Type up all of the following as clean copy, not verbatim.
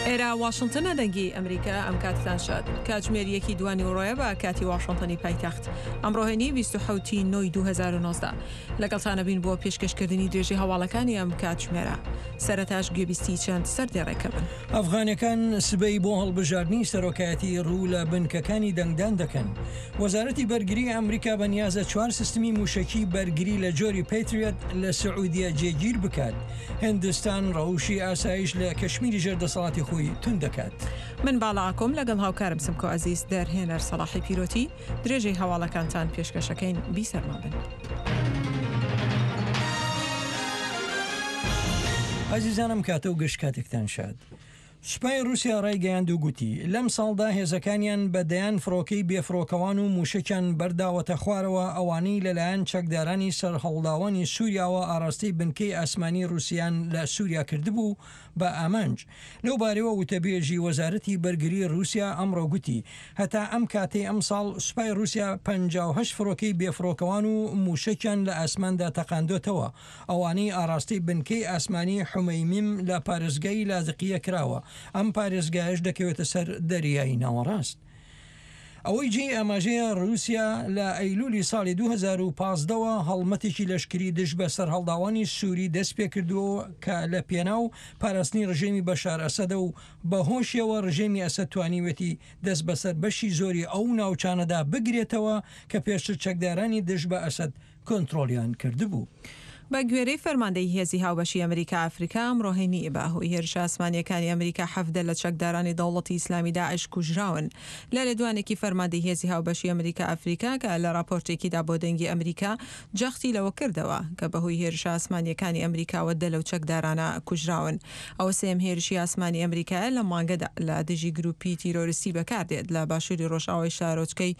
ئێرە واشنتنە دەنگی ئەمریکا ئەم کاتتان شاد کاتژمێر یەکی دوانیوەڕۆیە بە کاتی واشنتنی پایتەخت ئەمڕۆ هەینی 27 ی نۆی 2019 لەگەڵتانە بین بۆ پێشکەشکردنی درێژەی هەواڵەکانی ئەم کاتژمێرە سەرەتاش گوێبیستی چەند سەردێڕێکە بن. ئەفغانەکان سبەی بۆ هەڵبژاردنی سەرۆکایەتی ڕوو لە بنکەکانی دەنگدان دەکەن. وەزارەتی بەرگری ئەمریکا بەنیازە چوار سیستمی مووشەکی بەرگری لە جۆری پەیتریەت لە سعودیە جێگیر بکات. هندستان ڕەوشی ئاسایش لە کەشمیری ژێر دەسەڵاتی خۆی توند دەکات. من باڵا ئاکۆم لەگەڵ هاوکارم سمکۆ عەزیز، دەرهێنەر سەڵاحی پیرۆتی، درێژەی هەواڵەکانتان پێشکەشەکەین بیسەرمان بن. ئازیزان ئەم کاتە و گشت کاتێکتان شاد. سوپای ڕووسیا ڕایگەیاند و گوتی، لەم ساڵدا هێزەکانیان بە دەیان فڕۆکەی بێفڕۆکەوان و مووشەکیان بەرداوەتە خوارەوە ئەوانەی لەلایەن چەکدارانی سەرهەڵداوانی سووریاوە ئاراستەی بنکەی ئاسمانی ڕووسیان لە سووریا کردبوو بە ئامانج. لەو بارەیەوە وتەبێژی وەزارەتی بەرگری ڕووسیا ئەمڕۆ گوتی، هەتا ئەم کاتەی ئەمساڵ سوپای ڕووسیا 58 فڕۆکەی بێفڕۆکەوان و مووشەکیان لە ئاسماندا تەقاندۆتەوە، ئەوانەی ئاراستەی بنکەی ئاسمانی حومەیمیم لە پارێزگای لازقیە کراوە، ئەم پارێزگایەش دەکەوێتە سەر دەریای ناوەڕاست. ئەوەی جێی ئاماژەیە ڕووسیا لە ئەیلولی ساڵی 2015 وە هەڵمەتێکی لەشکری دژ بە سەرهەڵداوانی سوری دەستپێکردووە کە لە پێناو پاراستنی ڕژێمی بەشار ئەسەدە و بەهۆشیەوە ڕژێمی ئەسەد توانیوێتی دەست بەسەر بەشی زۆری ئەو ناوچانەدا بگرێتەوە کە پێشتر چەکدارانی دژ بە ئەسەد کۆنترۆڵیان کردبوو. بە گوێرەی فەرماندەیی هێزی هاوبەشی ئەمریکا ئەفریکا، ئەمڕۆ هەینی، بە هۆی هێرشە ئاسمانییەکانی ئەمریکا 17 لە چەکدارانی دەوڵەتی ئیسلامی داعش کوژراون. لە لێدوانێکی فەرماندەی هێزی هاوبەشی ئەمریکا ئەفریکا کە لە راپۆرتێکیدا بۆ دەنگی ئەمریکا جەختی لەوە کردەوە کە بەهۆی هێرشە ئاسمانییەکانی ئەمریکاوە دە لەو چەکدارانە کوژراون. ئەوە سێیەم هێرشی ئاسمانی ئەمریکایە لەم مانگەدا لە دژی گروپی تیرۆریستی بەکاردێت لە باشووری رۆژئاوای شارۆچکەی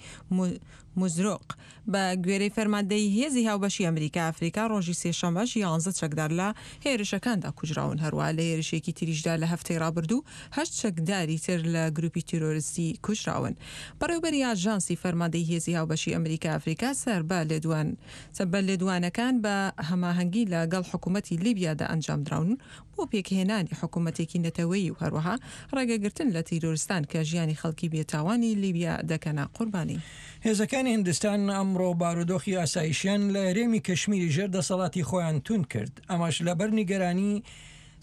موزرۆق. بە گوێرەی فەرماندەیی هێزی هاوبەشی ئەمریکا ئەفریکا ڕۆژی سێشەممەش یانزە چەکدار لە هێرشەکاندا کوژراون، هەروەها لە هێرشێکی تریشدا لە هەفتەی ڕابردوو هەشت چەکداری تر لە گروپی تیرۆرستی کوژراون. بەڕێوبەری ئاژانسی فەرماندەی هێزی هاوبەشی ئەمریکا ئەفریکا سەر بە لێدوان بە لێدوانەکان بە هەماهەنگی لە گەڵ حکوومەتی لیبیادا ئەنجامدراون بۆ پێکهێنانی حکوومەتێکی نەتەوەیی و هەروەها ڕێگەگرتن لە تیرۆرستان کە ژیانی خەڵکی بێتاوانی لیبیا دەکەنە قوربانی. هێزەکانی هندستان ئەمڕۆ بارودۆخی ئاسایشیان لە هەرێمی کشمیری ژێر دەسەڵاتی خۆیان توند کرد، ئەمەش لەبەر نیگەرانی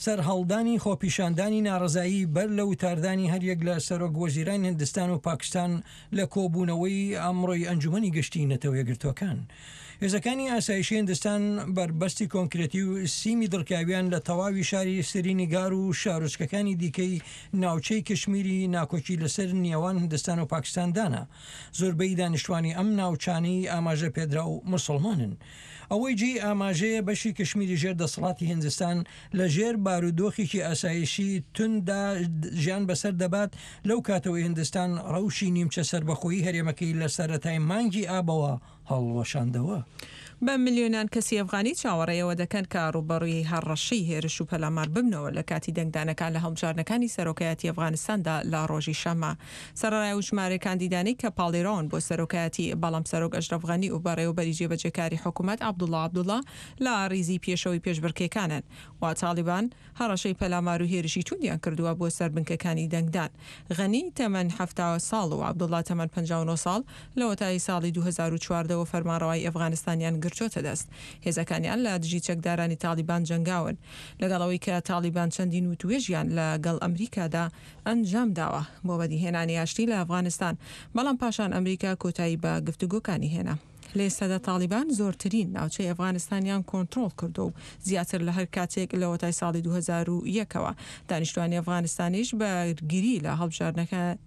سەرهەڵدانی خۆپیشاندانی ناڕەزایی بەر لە وتاردانی هەریەک لە سەرۆک وەزیرانی هندستان و پاکستان لە کۆبوونەوەی ئەمڕۆی ئەنجومەنی گشتی نەتەوە یەکگرتووەکان. هێزەکانی ئاسایشی هندستان بەربەستی کۆنکرێتی و سیمی دڕکاویان لە تەواوی شاری سرینیگار و شارۆچکەکانی دیکەی ناوچەی کشمیری ناکۆکی لەسەر نێوان هندستان و پاکستان دانا. زۆربەی دانیشتوانی ئەم ناوچانەی ئاماژە پێدراو موسڵمانن. ئەوەی جێی ئاماژەیە بەشی کشمیری ژێر دەسەڵاتی هندستان لە ژێر بارودۆخێکی ئاسایشی تونددا ژیان بەسەر دەبات لەو کاتەوەی هندستان ڕەوشی نیمچە سەربەخۆیی هەرێمەکەی لە سەرەتای مانگی ئابەوە هەڵوەشاندەوە. بە ملیۆنان کەسی ئەفغانی چاوەڕێی ئەوە دەکەن کە ڕووبەڕووی هەڕەشەی هێرش و پەلامار ببنەوە لە کاتی دەنگدانەکان لە هەڵبژاردنەکانی سەرۆکایەتی ئەفغانستاندا لە ڕۆژی شەممە. سەرەڕای ئەو ژمارەی کاندیدانەی کە پاڵێراون بۆ سەرۆکایەتی، بەڵام سەرۆک ئەشرەف غەنی و بەڕێوەبەری جێبەجێکاری حکومەت عەبدوڵا عەبدوڵا لە ڕیزی پێشەوەی پێشبڕکێکانن و تاڵیبان هەڕەشەی پەلامار و هێرشی توندیان کردووە بۆ سەر بنکەکانی دەنگدان. غەنی تەمەن 70 ساڵ و عەبدوڵا تەمەن 59 ساڵ لەوەتای ساڵی 2014 وە فەرمانڕەوایی ئەفغانستانیان گرتۆتە دەست. هێزەکانیان لە دژی چەکدارانی تاڵیبان جەنگاون. لەگەڵ ئەوەی کە تاڵیبان چەندین وتوێژیان لە گەڵ ئەمریکادا ئەنجام داوە بۆ بەدیهێنانی ئاشتی لە ئەفغانستان، بەڵام پاشان ئەمریکا کۆتایی بە گفتوگۆکانی هێنا. لە ئێستادا تاڵیبان زۆرترین ناوچەی ئەفغانستانیان کۆنترۆڵ کردووە و زیاتر لە هەر کاتێک لەوەتای ساڵی 2001 ەوە. دانیشتوانی ئەفغانستانیش بەرگری لە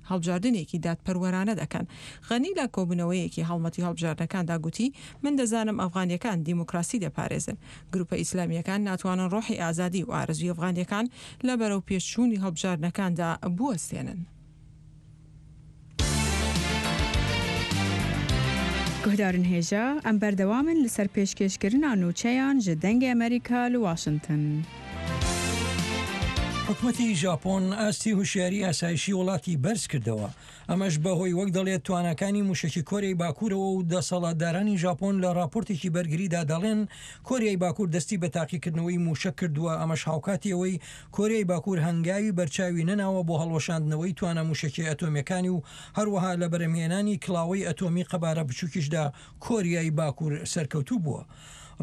هەڵبژاردنێکی دادپەروەرانە دەکەن. غەنی لە کۆبوونەوەیەکی هەڵمەتی هەڵبژاردنەکاندا گوتی، من دەزانم ئەفغانییەکان دیموکراسی دەپارێزن. گروپە ئیسلامییەکان ناتوانن ڕۆحی ئازادی و ئارەزووی ئەفغانییەکان لە بەرەوپێشچوونی هەڵبژاردنەکاندا بوەستێنن. Guhdarên hêja, em berdewam in li ser pêşkêşkirina nûçeyan ji Dengê Amerîka li Washington. حکومەتی ژاپۆن ئاستی هوشیاری ئاسایشی وڵاتی بەرز کردەوە، ئەمەش بەهۆی وەک دەڵێت تواناکانی موشەکی کۆریای باکوورەوە و دەسەڵاتدارانی ژاپۆن لە ڕاپۆرتێکی بەرگریدا دەڵێن کۆریای باکوور دەستی بە تاقیکردنەوەی موشەک کردووە، ئەمەش هاوکاتی ئەوەی کۆریای باکوور هەنگاوی بەرچاوی نەناوە بۆ هەڵوەشاندنەوەی توانا موشەکیە ئەتۆمیەکانی و هەروەها لە بەرهەمهێنانی کڵاوەی ئەتۆمی قەبارە بچووکیشدا کۆریای باکوور سەرکەوتوو بووە.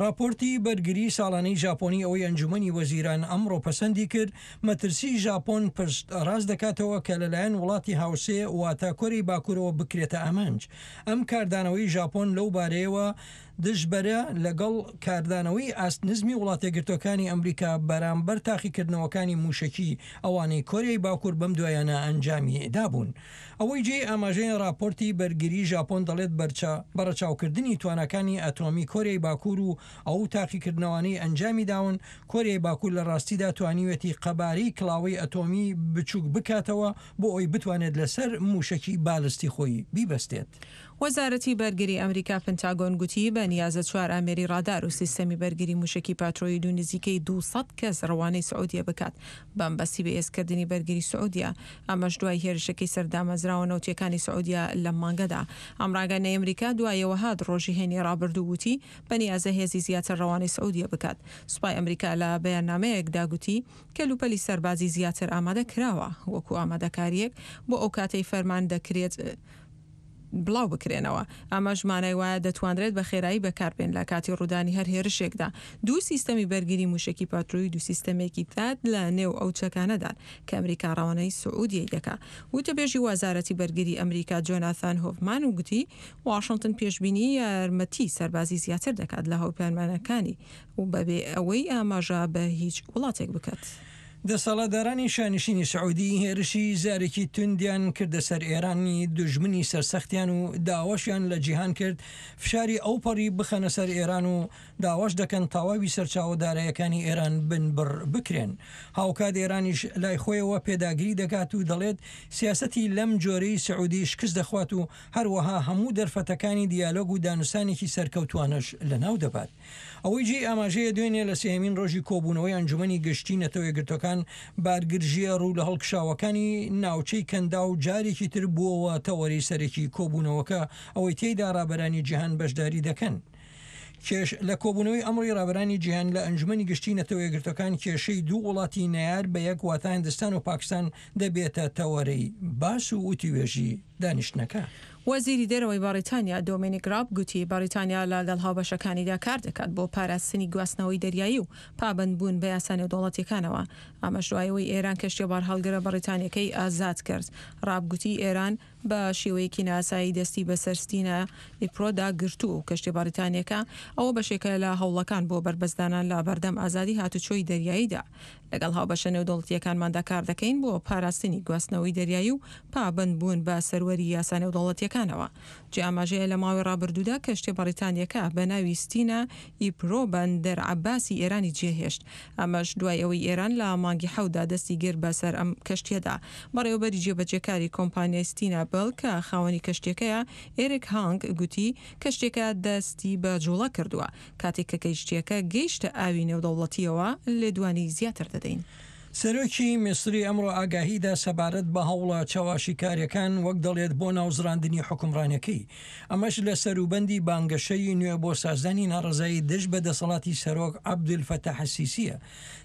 ڕاپۆرتی بەرگری ساڵانەی ژاپۆنی ئەوەی ئەنجومەنی وەزیران ئەمڕۆ پەسەندی کرد، مەترسی ژاپۆن پشت ڕاست دەکاتەوە کە لەلایەن وڵاتی هاوسێ واتە کۆریای باکوورەوە بکرێتە ئامانج. ئەم کاردانەوەی ژاپۆن لەو بارەیەوە دژبەرە لەگەڵ کاردانەوەی ئاست نزمی وڵاتەیەکگرتووەکانی ئەمریکا بەرامبەر تاقیکردنەوەکانی مووشەکی ئەوانەی کۆریای باکوور بەم دوایانە ئەنجامی دابوون. ئەوەی جێی ئاماژەیە ڕاپۆرتی بەرگری ژاپۆن دەڵێت بەرچە بەڕەچاوکردنی تواناکانی ئەتۆمی کۆریای باکوور و ئەو تاقیکردنەوانەی ئەنجامی داون، کۆریای باکوور لە ڕاستیدا توانیویەتی قەبارەی کڵاوەی ئەتۆمی بچووک بکاتەوە بۆ ئەوەی بتوانێت لەسەر مووشەکی بالستی خۆی بیبەستێت. وەزارەتی بەرگری ئەمریکا پنتاگۆن گوتی بە نیازە چوار ئامێری ڕادار و سیستەمی بەرگری موشەکی پاترۆید و نزیکەی 200 کەس ڕەوانەی سعودیە بکات بەمبەستی بەهێزکردنی بەرگری سعودیە ئەمەش دوای هێرشەکەی سەر دامەزراوە نەوتیەکانی سعودیە لەم مانگەدا. ئەم ڕاگەیاندنەی ئەمریکا دوایەوە هات ڕۆژی هەینی ڕابردوو وتی بەنیازە هێزی زیاتر ڕەوانەی سعودیە بکات. سوپای ئەمریکا لە بەیاننامەیەکدا گوتی کەلوپەلی سەربازی زیاتر ئامادە کراوە وەکو ئامادەکاریەک بۆ ئەو کاتەی فەرمان دەکرێت بڵاو بکرێنەوە، ئەمەش مانای وایە دەتوانرێت بە خێرایی بەکاربێن لە کاتی ڕوودانی هەر هێرشێکدا. دوو سیستەمی بەرگری مووشەکی پاترۆید و سیستەمێکی ثاد لە نێو ئەو چەکانەدان کە ئەمریکا ڕەوانەی سعودیەی دەکا. وتەبێژی وەزارەتی بەرگری ئەمریکا جۆناثان هۆفمان گوتی واشنتن پێشبینی یارمەتی سەربازی زیاتر دەکات لە هاوپەیمانەکانی و بەبێ ئەوەی ئاماژە بە هیچ وڵاتێک بکات. دەسەڵاتدارانی شانشینی سعودی هێرشی زارەکی توندیان کردە سەر ئێرانی دوژمنی سەرسەختیان و داواشیان لە جیهان کرد فشاری ئەوپەڕی بخەنە سەر ئێران و داواش دەکەن تەواوی سەرچاوە دارایەکانی ئێران بنبڕ بکرێن. هاوکات ئێرانیش لای خۆیەوە پێداگری دەکات و دەڵێت سیاسەتی لەم جۆرەی سعودی شکست دەخوات و هەروەها هەموو دەرفەتەکانی دیالۆگ و دانوستانێکی سەرکەوتوانەش لەناو دەبات. ئەوەی جێی ئاماژەیە دوێنێ لە سێیەمین ڕۆژی کۆبوونەوەی ئەنجومەنی گشتی نەتەوەیەکگرتووەکان بارگرژییە ڕوو لە هەڵکشاوەکانی ناوچەی کەنداو جارێکی تر بووەوە تەوەرەی سەرەکی کۆبوونەوەکە ئەوەی تێیدا ڕابەرانی جیهان بەشداری دەکەن. کێش لە کۆبوونەوەی ئەمڕۆی ڕابەرانی جیهان لە ئەنجومەنی گشتی نەتەوەیەکگرتووەکان کێشەی دوو وڵاتی نەیار بە یەک واتە هندستان و پاکستان دەبێتە تەوەرەی باس و وتوێژی دانیشتنەکە. وەزیری دەرەوەی بەڕیتانیا دۆمینیک راب گوتی بەڕیتانیا لەگەڵ هاوبەشەکانیدا کاردەکات بۆ پاراستنی گواستنەوەی دەریایی و پابەندبوون بە یاسا نێودەوڵەتییەکانەوە، ئەمەش دوای ئەوەی ئێران کەشتیە بارهەڵگرە بەڕیتانییەکەی ئازاد کرد. راب گوتی ئێران بە شێوەیەکی نایاسایی دەستی بەسەر ستینا ئیپرۆدا گرتووە و کەشتیە بەڕیتانییەکە ئەوە بەشێکە لە هەوڵەکان بۆ بەربەستدانان لە بەردەم ئازادی هاتوچۆی دەریاییدا. لەگەڵ هاوبەشە نێودەوڵەتییەکانماندا کاردەکەین بۆ پاراستنی گواستنەوەی دەریایی و پابەندبوون بە سەروەری یاسا نێودەوڵەتییەکانەوە. جێ ئاماژەیە لە ماوەی ڕابردوودا کەشتیە بەڕیتانییەکە بە ناوی ستینا ئیپرۆ بەندەر عەباسی ئێرانی جێهێشت، ئەمەش دوای ئەوەی ئێران لە مانگی حەوتدا دەستی گرت بەسەر ئەم کەشتییەدا. بەڕێوەبەری جێبەجێکاری کۆمپانیای ستینا بێل کە خاوەنی کەشتییەکەیە، ئێریک هانگ گوتی، کەشتییەکە دەستی بە جوڵە کردووە. کاتێک کە کەیشتییەکە گەیشتە ئاوی نێودەوڵەتییەوە، لێدوانی زیاتر دەدەین. سەرۆکی میسری ئەمڕۆ ئاگاهی دا سەبارەت بە هەوڵە چەواشیکاریەکان وەک دەڵێت بۆ ناوزڕاندنی حوکمڕانیەکەی، ئەمەش لە سەروبەندی بانگەشەی نوێ بۆ سازدانی ناڕەزایی دژ بە دەسەڵاتی سەرۆک عەبدولفەتاح السیسیە.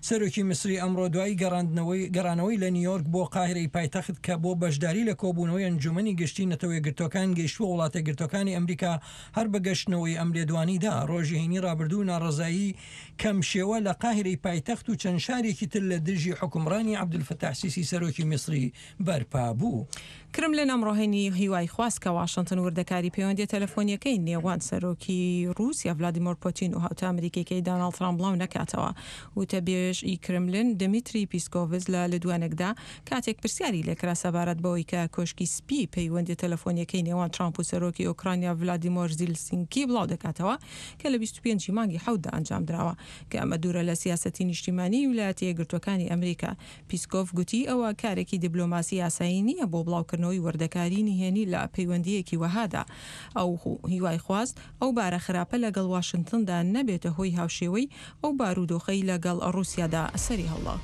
سەرۆکی میسری ئەمڕۆ دوای گەڕاندنەوەی گەڕانەوەی لە نیویۆرک بۆ قاهیرەی پایتەخت کە بۆ بەشداری لە کۆبوونەوەی ئەنجومەنی گشتی نەتەوەیەکگرتووەکان گەیشتووە وڵاتەیەکگرتووەکانی ئەمریکا هەر بە گەشتنەوەی ئەم لێدوانی دا، ڕۆژی هەینی ڕابردوو ناڕەزایی کەم شێوە لە قاهیرەی پایتەخت و چەند شارێکی تر لە دژی حوکمڕانی عەبدولفەتاح سیسی سەرۆکی میسری بەرپا بوو. کرملن ئەمڕۆ هەینی هیوای خواست کە واشنتن وردەکاری پەیوەندیە تەلەفۆنیەکەی نێوان سەرۆکی ڕووسیا ڤلادیمۆر پۆتین و هاوتا ئەمریکیەکەی داناڵد ترامپ بڵاو نەکاتەوە. وتەبێژ ی کرملن دمیتری پیسکۆڤز لە لێدوانێکدا کاتێک پرسیاری لێکرا سەبارەت بەوەی کە کۆشکی سپی پەیوەندیە تەلەفۆنیەکەی نێوان ترامپ و سەرۆکی ئۆکرانیا ڤلادیمۆر زیلسینکی بڵاودەکاتەوە کە لە 25 ی مانگی حەوتدا ئەنجامدراوە کە ئەمە دوورە لە سیاسەتی نیشتیمانیی ویلایەتە یەکگرتووەکانی ئەمریکا، پیسکۆڤ گوتی ئەوە کارێکی دیبلۆماسی ئاسایی نییە بۆ بڵاوکردنەوەی وردەکاری نهێنی لە پەیوەندییەکی وەهادا. ئەو هیوای خواست ئەو بارە خراپە لەگەڵ واشنتندا نەبێتە هۆی هاوشێوەی ئەو بارودۆخەی لەگەڵ ڕووسیادا سەری هەڵدا.